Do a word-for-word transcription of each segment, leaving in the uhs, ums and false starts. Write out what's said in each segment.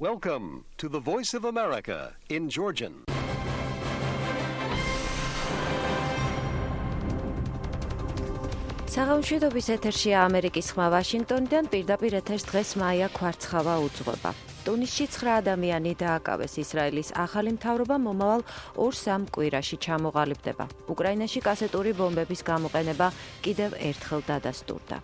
Welcome to the Voice of America in Georgian. საღამოშვიდობის ეთერშია ამერიკის ხმა ვაშინგტონიდან, პირდაპირ ეთერს დღეს მაია ქვარცხავა უძღვება. ტუნისში ცხრა ადამიანი დააკავეს. ისრაელის ახალი მთავრობა მომავალ ორ-სამ კვირაში ჩამოყალიბდება. უკრაინაში კასეტური ბომბების გამოყენება კიდევ ერთხელ დადასტურდა.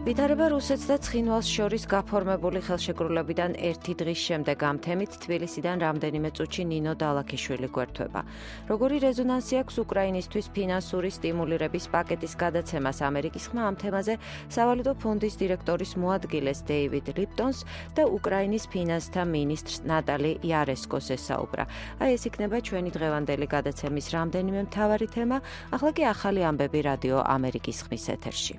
ვითარება რუსეთს და ცხინვალს შორის გაფორმებული ხელშეკრულებიდან ერთი დღის შემდეგ ამ თემით თბილისიდან რამდენიმე წუთში ნინო დალაქიშვილი გვერდება. როგორი რეზონანსი აქვს უკრაინისთვის ფინანსური სტიმულირების პაკეტის გადაცემას, ამერიკის ხმა ამ თემაზე სავალუტო ფონდის დირექტორის მოადგილეს დეივიდ ლიპტონს და უკრაინის ფინანსთა მინისტრს ნატალი იარესკოს ესაუბრა. აი ეს იქნება ჩვენი დღევანდელი გადაცემის რამდენიმე მთავარი თემა, ახლა კი ახალი ამბები რადიო ამერიკის ხმის ეთერში.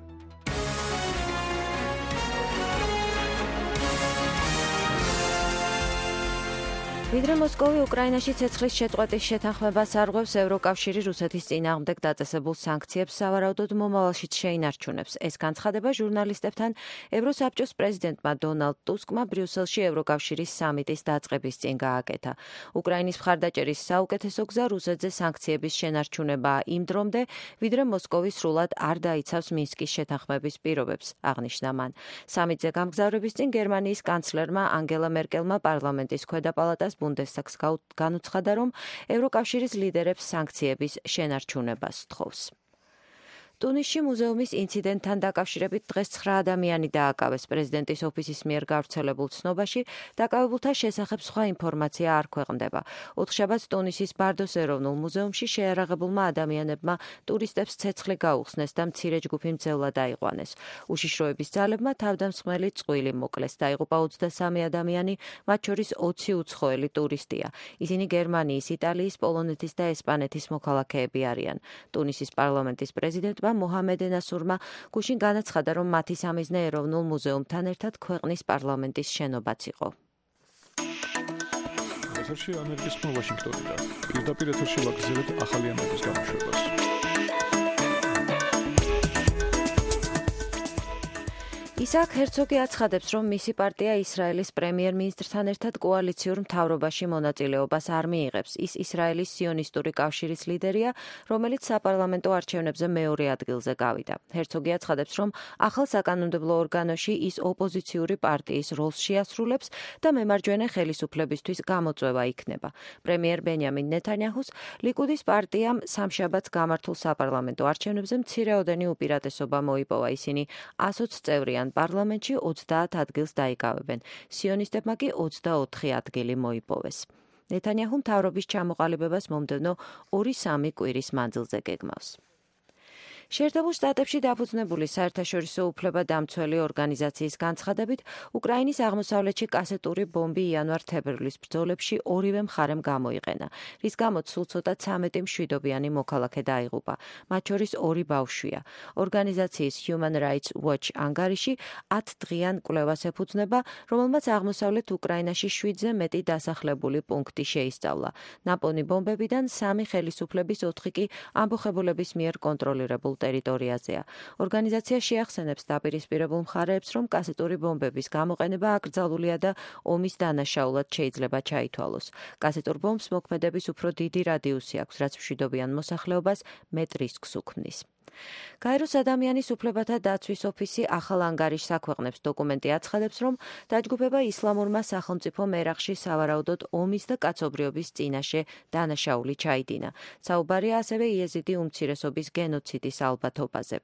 ვიდრე მოსკოვი უკრაინაში ცეცხლის შეწყვეტის შეთანხმებას არღვევს, ევროკავშირი რუსეთის წინააღმდეგ დაწესებულ სანქციებს სავარაუდოდ მომავალშიც შეინარჩუნებს. ეს განცხადება ჟურნალისტებთან ევროსაბჭოს პრეზიდენტმა დონალდ ტუსკმა ბრიუსელში ევროკავშირის სამიტის დაწყების წინ გააკეთა. უკრაინის მხარდაჭერის საუკეთესო გზა რუსეთზე სანქციების შენარჩუნებაა იმ დრომდე, ვიდრე მოსკოვი სრულად არ დაიცავს მინსკის შეთანხმების პირობებს, აღნიშნა მან. სამიტზე გამგზავრების წინ გერმანიის კანცლერმა ანგელა მერკელმა პარლამენტის ქვედა პალატას ბუნდესტაგს განუცხადა, რომ ევროკავშირის ლიდერებს სანქციების შენარჩუნებას სთხოვს. ტუნისში მუზეუმის ინციდენტთან დაკავშირებით დღეს ცხრა ადამიანი დააკავეს. პრეზიდენტის ოფისის მიერ გავრცელებულ ცნობაში დაკავებულთა შესახებ სხვა ინფორმაცია არ ქვეყნდება. ოთხშაბათს ტუნისის ბარდოს ეროვნულ მუზეუმში შეიარაღებულმა ადამიანებმა ტურისტებს ცეცხლი გაუხსნეს და მცირე ჯგუფი მძევლად აიყვანეს. უშიშროების ძალებმა თავდამსხმელი წყვილი მოკლეს. დაიღუპა ოცდასამი ადამიანი, მათ შორის ოცი უცხოელი ტურისტია. ისინი გერმანიის, იტალიის, პოლონეთის და ესპანეთის მოქალაქეები არიან. ტუნისის პარლამენტის პრეზიდენტ მოჰამედ ნასურმა გუშინ განაცხადა, რომ მათი სამიზნე ეროვნულ მუზეუმთან ერთად ქვეყნის პარლამენტის შენობაც იყო. ეთერში ამერიკის ხმა ვაშინგტონიდან. პირდაპირ ეთერში ვაგრძელებთ ახალი ამბების გამოშვებას. ისააკ ჰერცოგი აცხადებს, რომ მისი პარტია ისრაელის პრემიერ-მინისტრთან ერთად კოალიციურ მთავრობაში მონაწილეობას არ მიიღებს. ის ისრაელის სიონისტური კავშირის ლიდერია, რომელიც საპარლამენტო არჩევნებზე მეორე ადგილზე გავიდა. ჰერცოგი აცხადებს, რომ ახალ საკანონმდებლო ორგანოში ის ოპოზიციური პარტიის როლს შეასრულებს და მემარჯვენე ხელისუფლებისთვის გამოწვევა იქნება. პრემიერ ბენიამინ ნეთანიაჰუს ლიკუდის პარტიამ სამშაბათს გამართულ საპარლამენტო არჩევნებზე მცირეოდენი უპირატესობა მოიპოვა. ისინი ასოც წევრიან პარლამენტში ოცდაათ ადგილს დაიკავებენ. სიონისტებმა კი ოცდაოთხი ადგილი მოიპოვეს. ნეთანიაჰუ მთავრობის ჩამოყალიბებას მომდევნო ორი-სამი კვირის მანძილზე გეგმავს. შეერთებულ შტატებში დაფუძნებული საერთაშორისო უფლებადამცველი ორგანიზაციის განცხადებით, უკრაინის აღმოსავლეთში კასეტური ბომბი იანვარ-თებერვლის ბრძოლებში ორივე მხარემ გამოიყენა, რის გამოც სულ ცოტა ცამეტი მშვიდობიანი მოქალაქე დაიღუპა, მათ შორის ორი ბავშვია. ორგანიზაციის Human Rights Watch ანგარიში ათდღიან კვლევას ეფუძნება, რომელმაც აღმოსავლეთ უკრაინაში შვიდზე მეტი დასახლებული პუნქტი შეისწავლა. ნაპოვნი ბომბებიდან სამი ხელისუფლების, ოთხი კი ამბოხებულების მიერ კონტროლირებულ ტერიტორიაზეა. ორგანიზაცია შეახსენებს დაპირისპირებულ მხარეებს, რომ კასეტური ბომბების გამოყენება აკრძალულია და ომის დანაშაულად შეიძლება ჩაითვალოს. კასეტურ ბომბს მოქმედების უფრო დიდი რადიუსი აქვს, რაც მშვიდობიან მოსახლეობას მეტ რისკს უქმნის. გაეროს ადამიანის უფლებათა დაცვის ოფისი ახალ ანგარიშს აქვეყნებს. დოკუმენტი აცხადებს, რომ დაჯგუფება ისლამურმა სახელმწიფო მერახში სავარაუდოდ ომის და კაცობრიობის წინაშე დანაშაული ჩაიდინა. საუბარია ასევე იეზიდი უმცირესობის გენოციდის ალბათობაზე.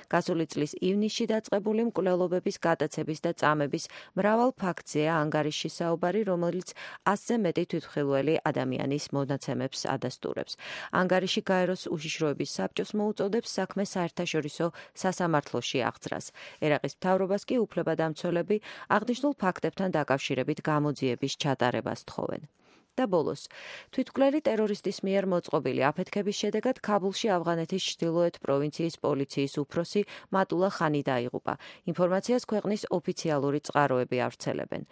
გასული წლის ივნისში დაწყებული მკვლელობების გადაცების და წამების მრავალ ფაქტზეა ანგარიშში საუბარი, რომელიც ასზე მეტი თვითმხილველი ადამიანის მონაცემებს ადასტურებს. ანგარიში გაეროს უშიშროების საბჭოს მოუწოდებს საქმე საერთაშორისო სასამართლოში აღძრას. ერაყის მთავრობას კი უფლებადამცველები აღნიშნულ ფაქტებთან დაკავშირებით გამოძიების ჩატარებას თხოვენ. და ბოლოს, თვითმკვლელი ტერორისტის მიერ მოწყობილი აფეთქების შედეგად ქაბულში ავღანეთის ჩრდილოეთ პროვინციის პოლიციის უფროსი მატულა ხანი დაიღუპა. ინფორმაციას ქვეყნის ოფიციალური წყაროები ავრცელებენ.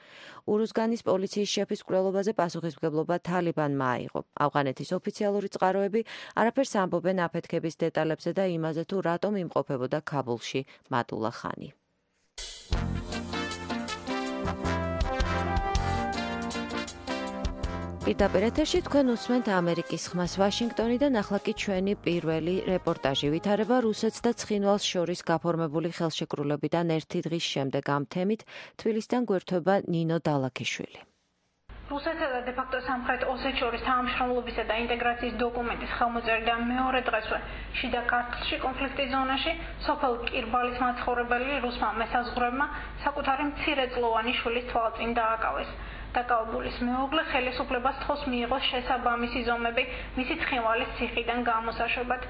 ურუზგანის პოლიციის შეფის მკვლელობაზე პასუხისმგებლობა თალიბანმა აიღო. ავღანეთის ოფიციალური წყაროები არაფერს ამბობენ აფეთქების დეტალებზე და იმაზე, თუ რატომ იმყოფებოდა ქაბულში მატულა ხანი. პირდაპირ ეთერში თქვენ უსმენთ ამერიკის ხმას ვაშინგტონიდან, ახლა კი ჩვენი პირველი რეპორტაჟი ვითარება რუსეთს და ცხინვალს შორის გაფორმებული ხელშეკრულებიდან ერთი დღის შემდეგ. ამ თემით თბილისიდან გვერდება ნინო დალაქიშვილი. რუსეთსა და დე-ფაქტო სამხრეთ ოსეთს შორის თანამშრომლობისა და ინტეგრაციის დოკუმენტის ხელმოწერიდან მეორე დღესვე შიდა ქართლში კონფლიქტის ზონაში სოფელ კირბალის მაცხოვრებელი რუსმა მესაზღვრებმა საკუთარი მცირეწლოვანი შვილის თვალწინ დააკავეს. დაკავებულის მეუღლე ხელისუფლებას თხოს მიიღოს შესაბამისი ზომები მისი ცხინვალის ციხიდან გამოსაშვებად.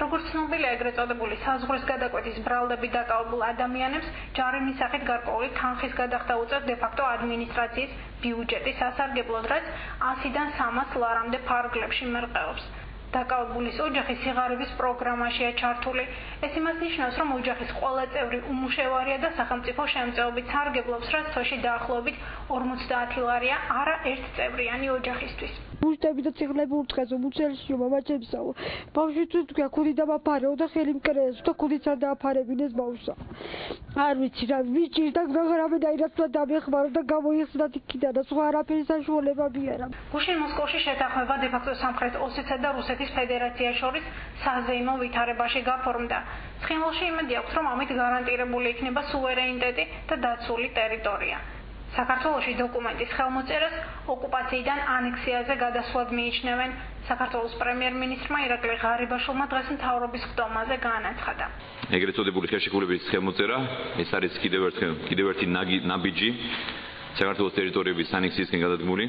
როგორც ცნობილია, ეგრეთ წოდებული საზღვრის გადაკვეთის ბრალდები დაკავებულ ადამიანებს ჯარიმის მისახით გარკვეული თანხის გადახდა უწევს დე-ფაქტო ადმინისტრაციის ბიუჯეტის სასარგებლოდ, რაც ასიდან სამას ლარამდე ფარგლებში მერყეობს. დაკავებულის ოჯახი სიღარიბის პროგრამაშია ჩართული. ეს იმას ნიშნავს, რომ ოჯახის ყველა წევრი უმუშევარია და სახელმწიფო შემწეობით სარგებლობს, რაც თოში დაახლოებით ორმოცდაათი ლარია არა ერთწევრიანი ოჯახისთვის. მუშტები და ციხლები ურთხეზო მუცელშიო მამაჩემსაო. ბავშვი თუ თქვა ქუდი დამაფარეო და ხელი მკრეს და ქუდიც არ დააფარებინეს ბავშვსა. არ ვიცი რა ვიჭირ და გაღრამე და ირაცლა დამეხმარო და გამოიხსნათ იქიდან და სხვა არაფერი საშუალება მიარა. გუშინ მოსკოვში შეთანხმება დე-ფაქტო სამხრეთ ოსეთსა და რუსეთის ფედერაციას შორის საზეიმო ვითარებაში გაფორმდა. ცხინვალში იმედი აქვს, რომ ამით გარანტირებული იქნება სუვერენიტეტი და დაცული ტერიტორია. საქართველოში დოკუმენტის ხელმოწერას ოკუპაციიდან ანექსიაზე გადასვლად მიიჩნევენ. საქართველოს პრემიერ-მინისტრმა ირაკლი ღარიბაშვილმა დღეს მთავრობის ხდომაზე განაცხადა. ეგრეთ წოდებული ხელშეკრულების ხელმოწერა, ეს არის კიდევ ერთი კიდევ ერთი ნაბიჯი საქართველოს ტერიტორიების ანექსიისკენ გადადგმული.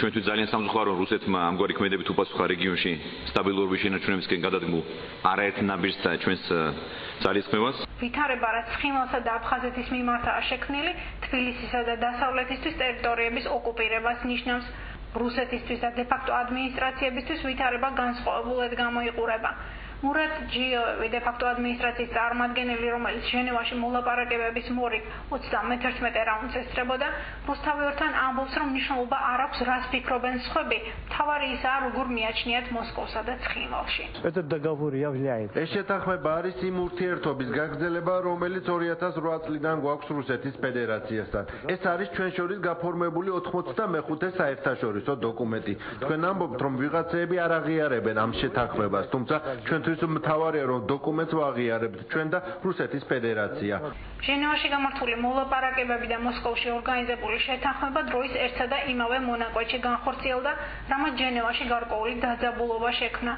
ჩვენთვის ძალიან სამწუხარო, რომ რუსეთმა ამგვარი ქმედებით უპასუხა რეგიონში სტაბილურობის შენარჩუნებისკენ გადადგმულ არაერთ ნაბიჯს და ჩვენს ძალისხმევას. ვითარება, რაც ცხინვალსა და აფხაზეთის მიმართაა შექმნილი, თბილისისა და დასავლეთისთვის ტერიტორიების ოკუპირებას ნიშნავს. რუსეთისთვის და დე-ფაქტო ადმინისტრაციებისთვის ვითარება განსხვავებულად გამოიყურება. მურატ ჯიოვი დე-ფაქტო ადმინისტრაციის წარმომადგენელი, რომელიც ჟენევაში მოლაპარაკებების მორიგ ოცდამეთერთმეტე რაუნდს ესწრებოდა, რუსთავიორთან ამბობს, რომ მნიშვნელობა არ აქვს, რას ფიქრობენ სხვები. მთავარი ისაა, როგორ მიაჩნიათ მოსკოვსა და ცხინვალში. ეს შეთანხმება არის იმ ურთიერთობის გაგრძელება, რომელიც ორი ათას რვა წლიდან გვაქვს რუსეთის ფედერაციასთან. ეს არის ჩვენ შორის გაფორმებული ოთხმოცდამეხუთე საერთაშორისო დოკუმენტი. თქვენ ამბობთ, რომ ვიღაცეები არ აღიარებენ ამ შეთანხმებას, თუმცა ჩვენ მთავარია, რომ დოკუმენტს ვაღიარებთ ჩვენ და რუსეთის ფედერაცია. ჟენევაში გამართული მოლაპარაკებები და მოსკოვში ორგანიზებული შეთანხმება დროის ერთსა და იმავე მონაკვეთში განხორციელდა, რამაც ჟენევაში გარკვეული დაძაბულობა შექმნა.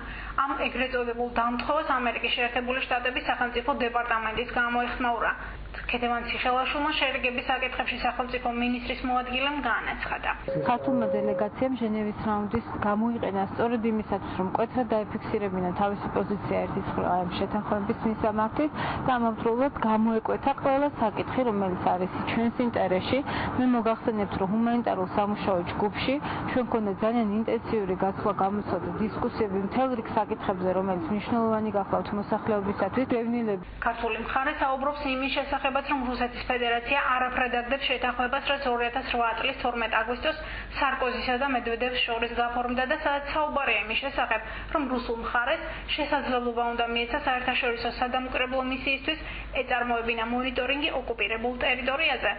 ამ ეგრეთ წოდებულ დამთხოვას ამერიკის შეერთებული შტატების სახელმწიფო დეპარტამენტის გამოეხმაურა. ქეთევან ციხელაშვილმა შერიგების საკითხებში სახელმწიფო მინისტრის მოადგილემ განაცხადა. ქართულმა დელეგაციამ ჟენევის რაუნდის გამოიყენა სწორედ იმისათვის, რომ მკვეთრად დაიფიქსირებინა თავისი პოზიცია ერთის ამ შეთანხმების მისამართით და ამავდროულად გამოეკვეთა ყველა საკითხი, რომელიც არის ჩვენს ინტერესში. მე მოგახსენებთ, რომ ჰუმანიტარულ სამუშაო ჯგუფში ჩვენ გქონდა ძალიან ინტენსიური გაცვლა გამოცდა და დისკუსიები მთელ რიგ საკითხებზე, რომელიც მნიშვნელოვანი გახლავთ მოსახლეობისათვის. დევნილები ქართული მხარე საუბრობს იმის შესახებ, რომ რუსეთის ფედერაცია არაფრად აგდებს შეთანხმებას, რაც ორი ათას რვა წლის თორმეტ აგვისტოს სარკოზისა და მედვედევს შორის გაფორმდა და სადაც საუბარია იმის შესახებ, რომ რუსულ მხარეს შესაძლებლობა უნდა მიეცა საერთაშორისო სადამკვირვებლო მისიისთვის ეწარმოებინა მონიტორინგი ოკუპირებულ ტერიტორიაზე.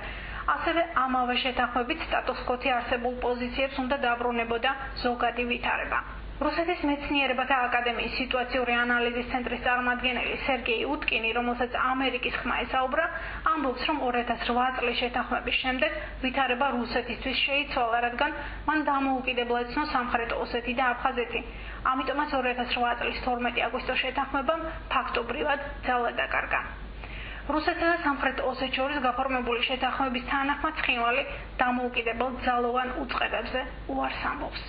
ასევე ამავე შეთანხმებით სტატუს-კვოთი არსებულ პოზიციებს უნდა დაბრუნებოდა ზოგადი ვითარება. რუსეთის მეცნიერებათა აკადემიის სიტუაციური ანალიზის ცენტრის წარმომადგენელი სერგეი უტკინი, რომელსაც ამერიკის ხმა ესაუბრა, ამბობს, რომ ორი ათას რვა წლის შეთანხმების შემდეგ ვითარება რუსეთისთვის შეიცვალა, რადგან მან დამოუკიდებლად ცნო სამხრეთ ოსეთი და აფხაზეთი. ამიტომაც ორი ათას რვა წლის თორმეტი აგვისტოს შეთანხმებამ ფაქტობრივად ძალა დაკარგა. რუსეთსა და სამხრეთ ოსეთს შორის გაფორმებული შეთანხმების თანახმად ცხინვალი დამოუკიდებელ ძალოვან უწყებებზე უარს ამბობს.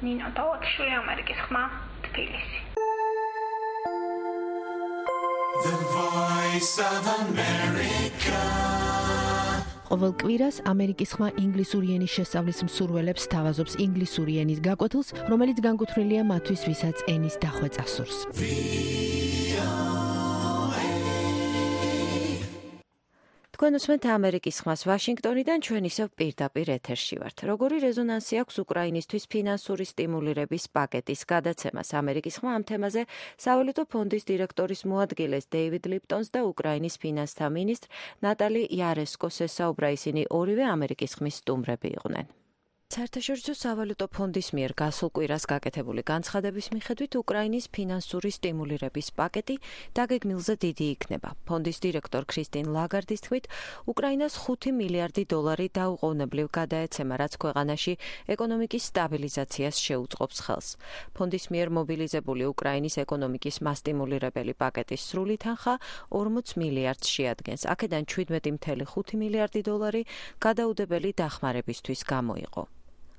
ნინო დალაქიშვილი, ამერიკის ხმა, თბილისი. The Voice of America. ყოველ კვირას ამერიკის ხმა ინგლისური ენის შესწავლის მსურველებს თავაზობს ინგლისური ენის გაკვეთილს, რომელიც განკუთვნილია მათთვის, ვისაც ენის დახვეწა სურს. თქვენ უსმენთ ამერიკის ხმას ვაშინგტონიდან, ჩვენ ისევ პირდაპირ ეთერში ვართ. როგორი რეზონანსი აქვს უკრაინისთვის ფინანსური სტიმულირების პაკეტის გადაცემას? ამერიკის ხმა ამ თემაზე სავალუტო ფონდის დირექტორის მოადგილეს დეივიდ ლიპტონს და უკრაინის ფინანსთა მინისტრ ნატალი იარესკოს ესაუბრა. ისინი ორივე ამერიკის ხმის სტუმრები იყვნენ. საერთაშორისო სავალუტო ფონდის მიერ გასულ კვირას გაკეთებული განცხადების მიხედვით უკრაინის ფინანსური სტიმულირების პაკეტი დაგეგმილზე დიდი იქნება. ფონდის დირექტორ ქრისტინ ლაგარდის თქმით, უკრაინას ხუთი მილიარდი დოლარი დაუყოვნებლივ გადაეცემა, რაც ქვეყანაში ეკონომიკის სტაბილიზაციას შეუწყობს ხელს. ფონდის მიერ მობილიზებული უკრაინის ეკონომიკის მასტიმულირებელი პაკეტის სრული თანხა ორმოც მილიარდს შეადგენს. აქედან შვიდმეტი целых ხუთი მილიარდი დოლარი გადაუდებელი დახმარებისთვის გამოიყო.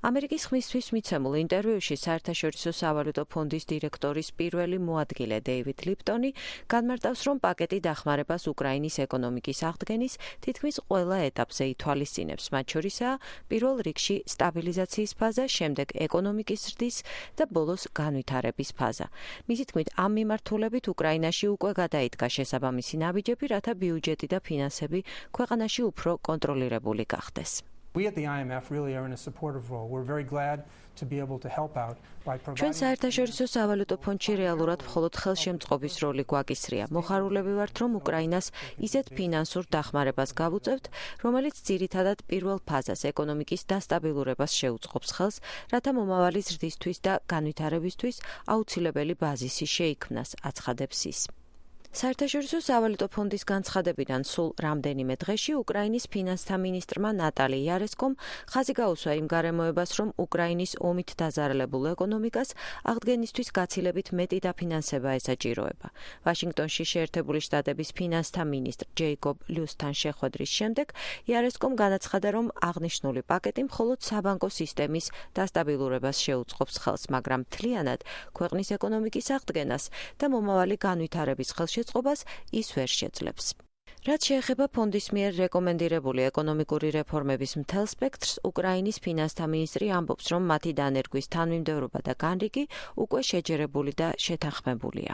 ამერიკის ხმისთვის მიცემულ ინტერვიუში საერთაშორისო სავალუტო ფონდის დირექტორის პირველი მოადგილე დეივიდ ლიპტონი განმარტავს, რომ პაკეტი დახმარებას უკრაინის ეკონომიკის აღდგენის თითქმის ყველა ეტაპზე ითვალისწინებს, მათ შორისაა პირველ რიგში სტაბილიზაციის ფაზა, შემდეგ ეკონომიკის ზრდის და ბოლოს განვითარების ფაზა. მისი თქმით, ამ მიმართულებით უკრაინაში უკვე გადაიდგა შესაბამისი ნაბიჯები, რათა ბიუჯეტი და ფინანსები ქვეყანაში უფრო კონტროლირებული გახდეს. We at the I M F really are in a supportive role. We're very glad to be able to help out by providing. ჩვენ საერთაშორისო სავალუტო ფონდში რეალურად მხოლოდ ხელშემწყობის როლი გვაკისრია. მოხარულები ვართ, რომ უკრაინას ისეთ ფინანსურ დახმარებას გავუწევთ, რომელიც ძირითადად პირველ ფაზას ეკონომიკის დასტაბილურებას შეუწყობს ხელს, რათა მომავალი ზრდისთვის და განვითარებისთვის აუცილებელი ბაზისი შეიქმნას, აცხადებს ის. საერთაშორისო სავალუტო ფონდის განცხადებიდან სულ რამდენიმე დღეში უკრაინის ფინანსთა მინისტრმა ნატალი იარესკომ ხაზი გაუსვა იმ გარემოებას, რომ უკრაინის ომით დაზარალებულ ეკონომიკას აღდგენისთვის გაცილებით მეტი დაფინანსება ესაჭიროება. ვაშინგტონში შეერთებული შტატების ფინანსთა მინისტრ ჯეიკობ ლიუსთან შეხვედრის შემდეგ იარესკომ განაცხადა, რომ აღნიშნული პაკეტი მხოლოდ საბანკო სისტემის დასტაბილურებას შეუწყობს ხელს, მაგრამ მთლიანად ქვეყნის ეკონომიკის აღდგენას და მომავალი განვითარების ხელშეწყობას ის ვერ შეძლებს. რაც შეეხება ფონდის მიერ რეკომენდირებული ეკონომიკური რეფორმების მთელ სპექტრს, უკრაინის ფინანსთა მინისტრი ამბობს, რომ მათი დანერგვის თანმიმდევრობა და განრიგი უკვე შეჯერებული და შეთანხმებულია.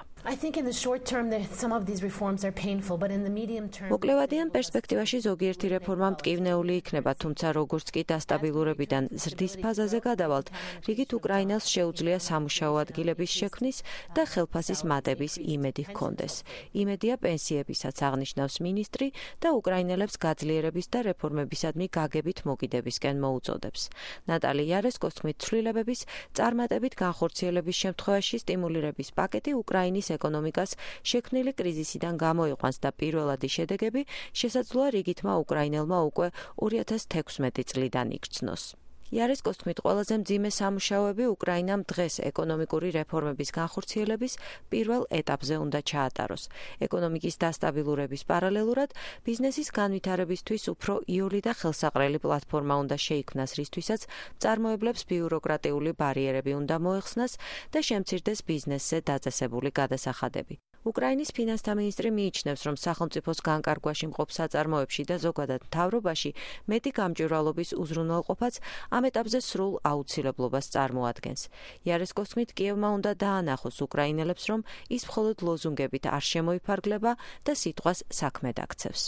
მოკლევადიან პერსპექტივაში ზოგიერთი რეფორმა მტკივნეული იქნება, თუმცა როგორც კი დასტაბილურებიდან ზრდის ფაზაზე გადავალთ, რიგით უკრაინას შეუძლია სამუშაო ადგილების შექმნის და ხელფასის მატების იმედი ჰქონდეს. იმედია პენსიებისაც, აღნიშნავს მინისტრი და უკრაინელებს გაძლიერების და რეფორმებისადმი გაგებით მოგიდებისკენ მოუწოდებს. ნატალი იარესკოს თქმით, ცვლილებების წარმატებით განხორციელების შემთხვევაში სტიმულირების პაკეტი უკრაინის ეკონომიკას შექმნილი კრიზისიდან გამოიყვანს და პირველადი შედეგები შესაძლოა რიგითმა უკრაინელმა უკვე ორი ათას თექვსმეტი წლიდან იქცნოს. იარესკოს თქმით, ყველაზე მძიმე სამუშაოები უკრაინამ დღეს ეკონომიკური რეფორმების განხორციელების პირველ ეტაპზე უნდა ჩაატაროს. ეკონომიკის დასტაბილურების პარალელურად ბიზნესის განვითარებისთვის უფრო იოლი და ხელსაყრელი პლატფორმა უნდა შეიქმნას, რისთვისაც მწარმოებლებს ბიუროკრატიული ბარიერები უნდა მოეხსნას და შემცირდეს ბიზნესზე დაწესებული გადასახადები. უკრაინის ფინანსთა მინისტრი მიიჩნევს, რომ სახელმწიფოს განკარგვაში მყოფ საწარმოებში და ზოგადად მთავრობაში მეტი გამჭვირვალობის უზრუნველყოფაც ამ ეტაპზე სრულ აუცილებლობას წარმოადგენს. იარესკოს თქმით, კიევმა უნდა დაანახოს უკრაინელებს, რომ ის მხოლოდ ლოზუნგებით არ შემოიფარგლება და სიტყვას საქმედ აქცევს.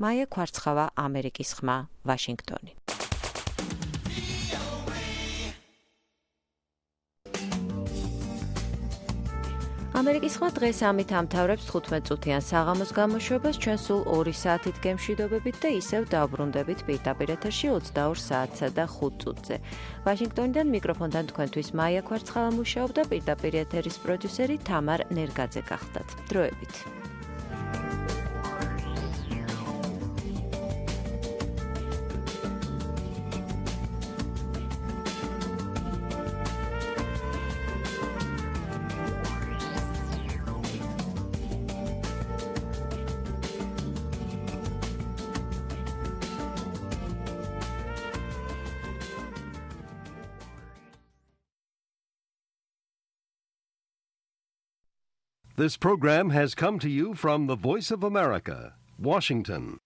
მაია ქვარცხავა, ამერიკის ხმა, ვაშინგტონი. ამერიკის ხმა დღეს ამით ამთავრებს თხუთმეტ წუთიან საღამოს გამოშვებას. ჩვენ სულ ორი საათით გემშვიდობებით და ისევ დავბრუნდებით პირდაპირ ეთერში ოცდაორ საათსა და ხუთ წუთზე. ვაშინგტონიდან მიკროფონთან თქვენთვის მაია ქვარცხავა მუშაობდა, პირდაპირ ეთერის პროდიუსერი თამარ ნერგაძე გახდათ. დროებით. This program has come to you from the Voice of America, Washington.